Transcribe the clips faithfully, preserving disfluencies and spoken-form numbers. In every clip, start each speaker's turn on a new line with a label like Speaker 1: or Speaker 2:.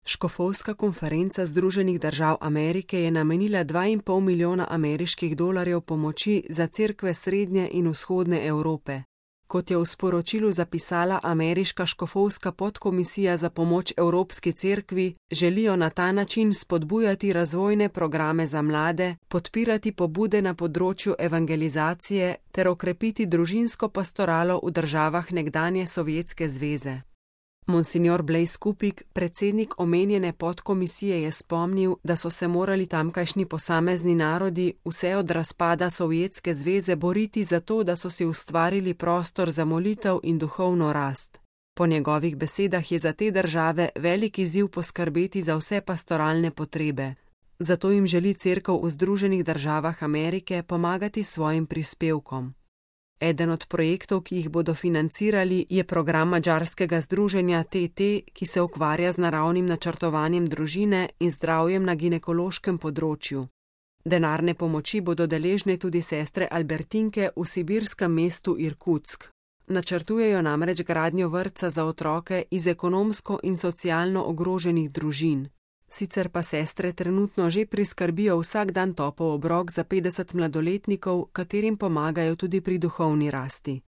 Speaker 1: Škofovska konferenca Združenih držav Amerike je namenila dva in pol milijona ameriških dolarjev pomoči za cerkve srednje in vzhodne Evrope. Kot je v sporočilu zapisala ameriška škofovska podkomisija za pomoč Evropski cerkvi, želijo na ta način spodbujati razvojne programe za mlade, podpirati pobude na področju evangelizacije ter okrepiti družinsko pastoralo v državah nekdanje Sovjetske zveze. Monsignor Blaise Kupik, predsednik omenjene podkomisije, je spomnil, da so se morali tamkajšnji posamezni narodi vse od razpada Sovjetske zveze boriti za to, da so si ustvarili prostor za molitev in duhovno rast. Po njegovih besedah je za te države velik izziv poskrbeti za vse pastoralne potrebe. Zato jim želi cerkev v Združenih državah Amerike pomagati s svojim prispevkom. Eden od projektov, ki jih bodo financirali, je program madžarskega združenja T T, ki se ukvarja z naravnim načrtovanjem družine in zdravjem na ginekološkem področju. Denarne pomoči bodo deležne tudi sestre Albertinke v sibirskem mestu Irkutsk. Načrtujejo namreč gradnjo vrtca za otroke iz ekonomsko in socialno ogroženih družin. Sicer pa sestre trenutno že priskrbijo vsak dan topel obrok za petdeset mladoletnikov, katerim pomagajo tudi pri duhovni rasti.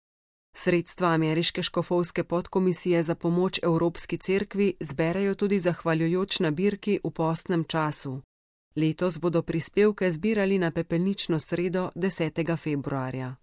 Speaker 1: Sredstva ameriške škofovske podkomisije za pomoč Evropski cerkvi zberejo tudi zahvaljujoč nabirki v postnem času. Letos bodo prispevke zbirali na pepelnično sredo desetega februarja.